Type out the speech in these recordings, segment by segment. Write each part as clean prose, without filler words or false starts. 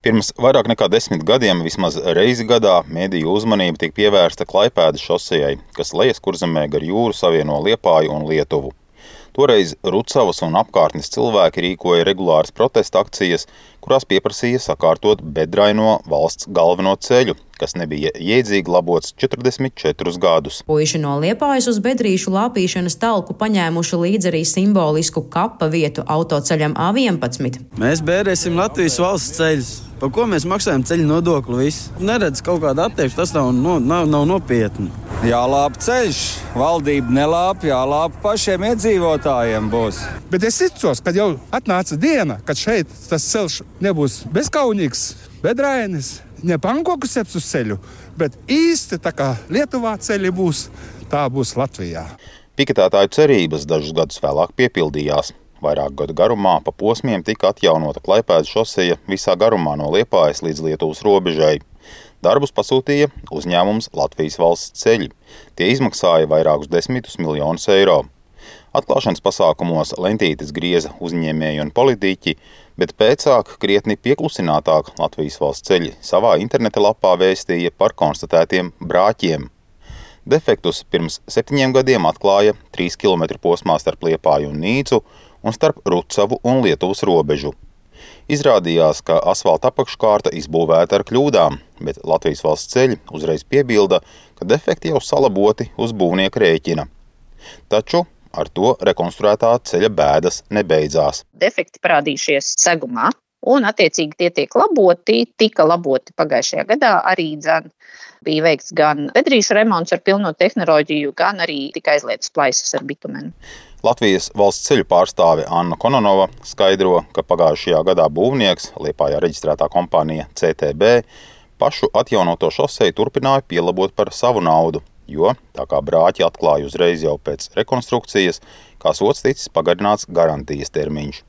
Pirms vairāk nekā 10 gadiem vismaz reizi gadā mediju uzmanība tiek pievērsta Klaipēdas šosejai, kas lejas Kurzemē gar jūru savieno Liepāju un Lietuvu. Toreiz Rucavas un apkārtnes cilvēki rīkoja regulāras protesta akcijas, kurās pieprasīja sakārtot bedraino valsts galveno ceļu, kas nebija jēdzīgi labots 44 gadus. Puiši no Liepājas uz bedrīšu lāpīšanas talku paņēmuši līdzi arī simbolisku kapa vietu autoceļam A11. Mēs bērēsim Latvijas valsts ceļus. Par ko mēs maksājam ceļu nodokli visu? Neredz kaut kādu attieksmi, tas nav nopietni. Jālāp ceļš, valdība nelāp, jālāp pašiem iedzīvotājiem būs. Bet es ticos, kad jau atnāca diena, kad šeit tas ceļš nebūs bezkaunīgs, bedrainis, ne pankoku seps uz ceļu, bet īsti tā kā Lietuvā ceļi būs, tā būs Latvijā. Piketētāju cerības dažus gadus vēlāk piepildījās. Vairāk gadu garumā pa posmiem tika atjaunota Klaipēdas šoseja visā garumā no Liepājas līdz Lietuvas robežai. Darbus pasūtīja uzņēmums Latvijas valsts ceļi. Tie izmaksāja vairākus 10 miljonus eiro. Atklāšanas pasākumos lentītes grieza uzņēmēji un politiķi, bet pēcāk krietni pieklusinātāk Latvijas valsts ceļi savā interneta lapā vēstīja par konstatētiem brāķiem. Defektus pirms 7 gadiem atklāja 3 km posmā starp Liepāju un Nīcu un starp Rucavu un Lietuvas robežu. Izrādījās, ka asfalta apakškārta izbūvēta ar kļūdām, bet Latvijas valsts ceļi uzreiz piebilda, ka defekti jau salaboti uz būvnieka rēķina. Taču ar to rekonstruētā ceļa bēdas nebeidzās. Defekti parādījušies segumā, un attiecīgi tie tiek laboti, tika laboti pagājušajā gadā arī bija veikts gan bedrīšu remonts ar pilno tehnoloģiju, gan arī tika aizlietas plaisas ar bitumenu. Latvijas valsts ceļu pārstāve Anna Kononova skaidro, ka pagājušajā gadā būvnieks, Liepājā reģistrētā kompānija CTB, pašu atjaunoto šoseju turpināja pielabot par savu naudu, jo, tā kā brāķi atklāja uzreiz jau pēc rekonstrukcijas, kā sots ticis pagarināts garantijas termiņš.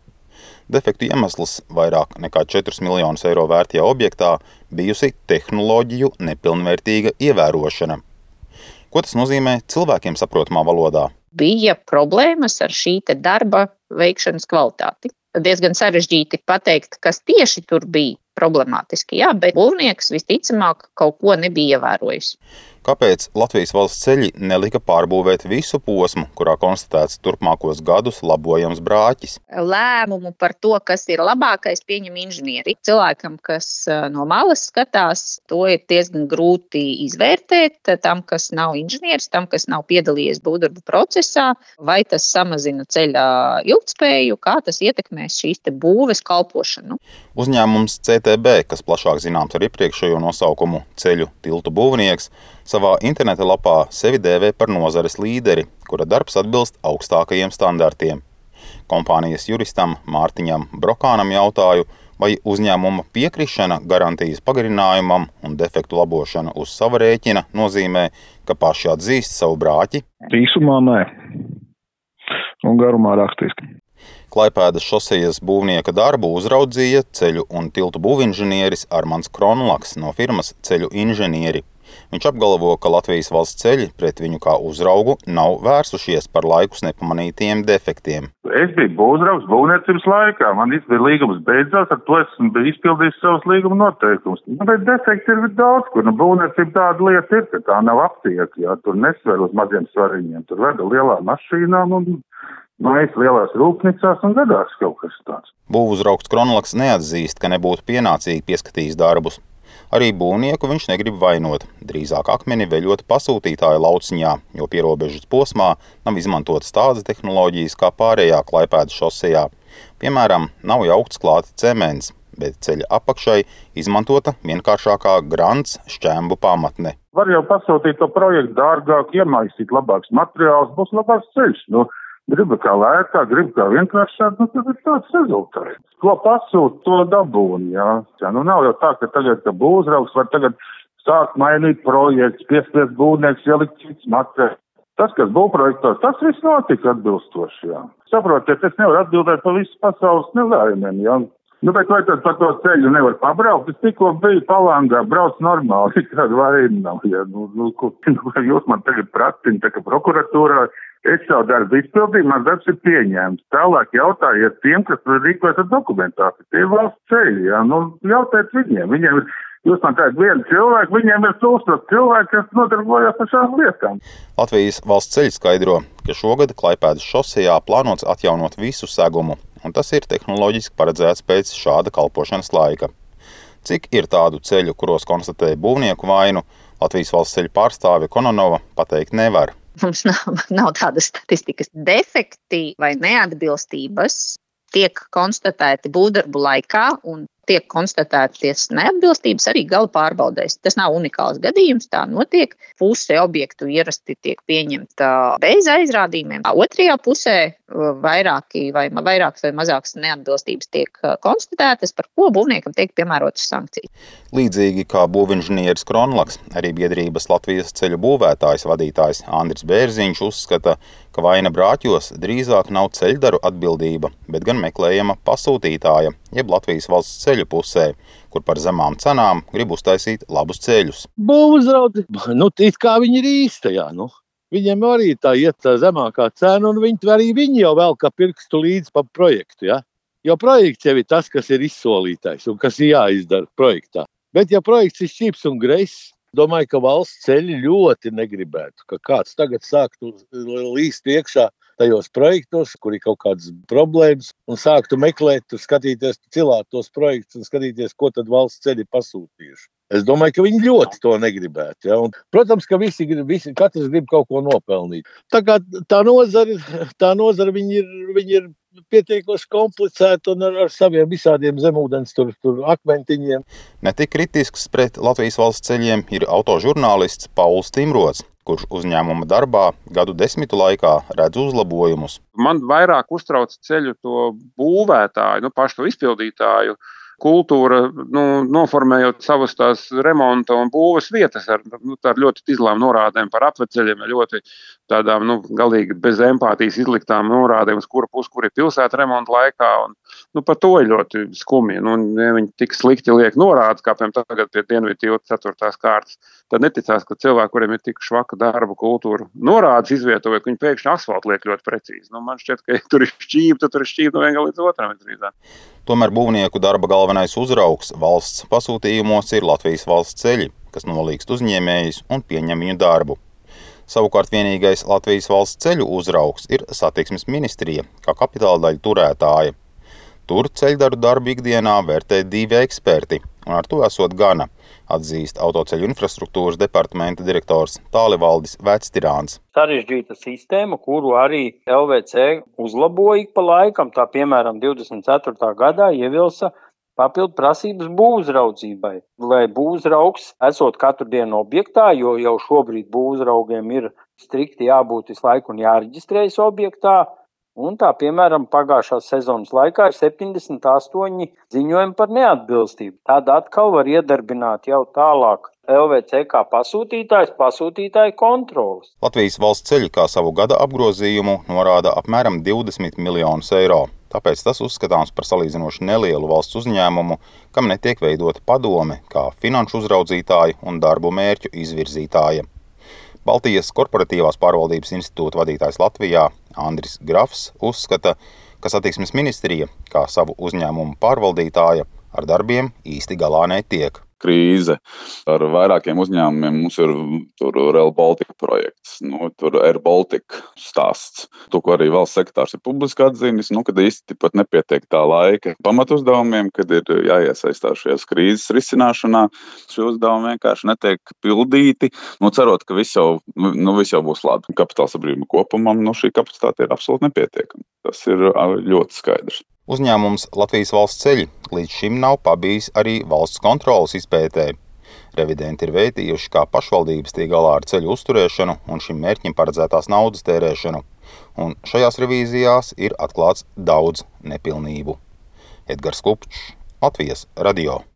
Defektu iemesls vairāk nekā 4 miljonus eiro vērtajā objektā bijusi tehnoloģiju nepilnvērtīga ievērošana. Ko tas nozīmē cilvēkiem saprotamā valodā? Bija problēmas ar šī darba veikšanas kvalitāti. Diezgan sarežģīti pateikt, kas tieši tur bija problemātiski, bet būvnieks visticamāk kaut ko nebija ievērojis. Kāpēc Latvijas valsts ceļi nelika pārbūvēt visu posmu, kurā konstatēts turpmākos gadus labojams brāķis? Lēmumu par to, kas ir labākais, pieņem inženieri. Cilvēkam, kas no malas skatās, to ir diezgan grūti izvērtēt. Tam, kas nav inženieris, tam, kas nav piedalījies būvdarbu procesā, vai tas samazina ceļa ilgtspēju, kā tas ietekmēs šīs būves kalpošanu. Uzņēmums CTB, kas plašāk zināms ar iepriekšējo nosaukumu ceļu tiltu būvnieks, savā interneta lapā sevi dēvē par nozares līderi, kura darbs atbilst augstākajiem standartiem. Kompānijas juristam Mārtiņam Brokānam jautāju, vai uzņēmuma piekrišana garantijas pagarinājumam un defektu labošana uz sava rēķina nozīmē, ka paši atzīst savu brāķi? Īsumā nē, un garumā rakstiski. Klaipēdas šosejas būvnieka darbu uzraudzīja ceļu un tiltu būvinženieris Armands Kronlaks no firmas Ceļu inženieri. Viņš apgalvo, ka Latvijas valsts ceļi pret viņu kā uzraugu nav vērsušies par laikus nepamanītiem defektiem. Es biju būvniecības būvniecības laikā. Man bija līgums beidzās, ar to esmu izpildījis savus līguma noteikumus. Bet defekti ir daudz, kur būvniecība tāda lieta ir, ka tā nav aptieka. Tur nesver uz maziem svariņiem. Tur veda lielā mašīnām un mājas lielās rūpnīcās un gadās kaut kas tāds. Būvuzraugs Kronlaks neatzīst, ka nebūtu pienācīgi pieskatījis darbus. Arī būvnieku viņš negrib vainot, drīzāk akmeni veļot pasūtītāja lauciņā, jo pierobežas posmā nav izmantotas tādas tehnoloģijas kā pārējā Klaipēdas šosejā. Piemēram, nav jaukts klāti cements, bet ceļa apakšai izmantota vienkāršākā grants šķembu pamatne. Var jau pasūtīt to projektu dārgāk, iemaisīt labāks materiāls, būs labāks ceļš. Gribu kā lētāk, gribu kā vienkāršāk, tad ir tāds rezultāts. Ko pasūt, to dabūn, nav jau tā, ka tagad, ka būvuzraugs var tagad sākt mainīt projekts, piespiest būvnieks, ielikt cits materiāls. Tas, kas būvprojektos, tas viss notika atbilstoši, Saprotiet, es nevaru atbildēt par visu pasaules nelējumiem, Bet vai tad par to ceļu nevar pabraukt? Es tikko biju Palangā, brauc normāli, kāda vaina nav, Jūs man tagad pratina, tā ka prokuratūrā Es savu darbu izpildīju, mans darbs ir pieņēmts. Tālāk jautājiet tiem, kas rīkojas ar dokumentāciju. Tie ir valsts ceļi, jā. Nu, jautājiet viņiem. Jūs man teicat vienu cilvēku, viņiem ir 1000 cilvēki, kas nodarbojas ar šām lietām. Latvijas valsts ceļi skaidro, ka šogad Klaipēdas šosejā plānots atjaunot visu segumu, un tas ir tehnoloģiski paredzēts pēc šāda kalpošanas laika. Cik ir tādu ceļu, kuros konstatēja būvnieku vainu, Latvijas valsts ceļu pārstāve Kononova pateikt nevar. Mums nav tādas statistikas. Defekti vai neatbilstības tiek konstatēti būvdarbu laikā un tiek konstatētas neatbilstības arī gala pārbaudēs. Tas nav unikāls gadījums, tā notiek. Puse objektu ierasti tiek pieņemta bez aizrādījumiem. Otrajā pusē vairākas vai mazākas neatbilstības tiek konstatētas, par ko būvniekam tiek piemērotas sankcijas. Līdzīgi kā būvinženieris Kronlaks, arī biedrības Latvijas ceļu būvētājs vadītājs Andris Bērziņš uzskata, ka vaina brāķos drīzāk nav ceļdaru atbildība, bet gan meklējama pasūtītāja, jeb Latvijas valsts ceļu pusē, kur par zemām cenām grib uztaisīt labus ceļus. Būvuzraudzi, it kā viņi ir īstajā, Viņiem arī tā iet tā zemākā cena, un viņi jau vēl kā pirkstu līdz pa projektu, ja? Jo projekts jau ir tas, kas ir izsolītais un kas ir jāizdara projektā. Bet ja projekts ir šķīps un greiss, domāju, ka valsts ceļi ļoti negribētu, ka kāds tagad sāktu līst iekšā tajos projektos, kur ir kaut kādas problēmas, un sāktu meklēt, skatīties, cilāt tos projektus un skatīties, ko tad valsts ceļi pasūtījuši. Es domāju, ka viņi ļoti to negribētu. Ja? Un, protams, ka katrs grib kaut ko nopelnīt. Tā kā tā nozara viņi ir pietiekoši komplicēti un ar saviem visādiem zemūdens tur akmentiņiem. Netik kritisks pret Latvijas valsts ceļiem ir autožurnālists Pauls Timrots, kurš uzņēmuma darbā gadu 10 laikā redz uzlabojumus. Man vairāk uztrauc ceļu to būvētāju, pašu to izpildītāju kultūra, noformējot savas tās remonta un būves vietas ar ļoti izlām norādēm par apveceļiem, ļoti tādām, galīgi bez empātijas izliktām norādēm, uz kura pusi, kur ir pilsēta remonta laikā, un par to ir ļoti skumji. Ja viņi tik slikti liek norādes, kā piemēram tagad pie Dienvidu tilta 4. kārtas, tad neticās, ka cilvēki, kuriem ir tik švaka darba kultūra, norādes izvietojot, ka viņi pēkšņi asfaltu liek ļoti precīzi. Man šķiet, ka tur ir šķība, tad tur ir šķība no viena līdz otram. Tomēr būvnieku darba galvenais uzraugs valsts pasūtījumos ir Latvijas valsts ceļi, kas nolīgst uzņēmējus un pieņem viņu darbu. Savukārt vienīgais Latvijas valsts ceļu uzraugs ir Satiksmes ministrija, kā kapitāla daļu turētāja. Tur ceļdaru darbu ikdienā vērtē 2 eksperti, un ar to esot gana, atzīst autoceļu infrastruktūras departamenta direktors Tālivaldis Vectirāns. Sarežģīta sistēma, kuru arī LVC uzlaboja pa laikam, tā piemēram 24. gadā ievilsa papildu prasības būvuzraudzībai, lai būvuzraugs esot katru dienu objektā, jo jau šobrīd būvuzraugiem ir strikti jābūt visu laiku un jāreģistrējas objektā. Un tā, piemēram, pagājušās sezonas laikā ir 78 ziņojumi par neatbilstību. Tad atkal var iedarbināt jau tālāk LVC kā pasūtītāju kontroles. Latvijas valsts ceļi kā savu gada apgrozījumu norāda apmēram 20 miljonus eiro. Tāpēc tas uzskatāms par salīdzinoši nelielu valsts uzņēmumu, kam netiek veidota padome kā finanšu uzraudzītāja un darbu mērķu izvirzītāja. Baltijas korporatīvās pārvaldības institūta vadītājs Latvijā Andris Grafs uzskata, ka Satiksmes ministrija, kā savu uzņēmumu pārvaldītāja, ar darbiem īsti galā netiek. Krīze ar vairākiem uzņēmumiem. Mums ir tur Rail Baltica projekts, tur Air Baltica stāsts. To, ko arī valsts sekretārs ir publiski atzīnis, kad īsti pat nepietiek tā laika pamatuzdevumiem, kad ir jāiesaistās šajās krīzes risināšanā. Šie uzdevumi vienkārši netiek pildīti, cerot, ka viss jau būs labi. Kapitāla sabiedrība kopumā šī kapacitāte ir absolūti nepietiekama. Tas ir ļoti skaidrs. Uzņēmums Latvijas valsts ceļi līdz šim nav pabijis arī valsts kontroles izpētē. Revidenti ir vērtījuši, kā pašvaldības tiek galā ar ceļu uzturēšanu un šim mērķim paredzētās naudas tērēšanu. Un šajās revīzijās ir atklāts daudz nepilnību. Edgars Kupčs, Latvijas radio.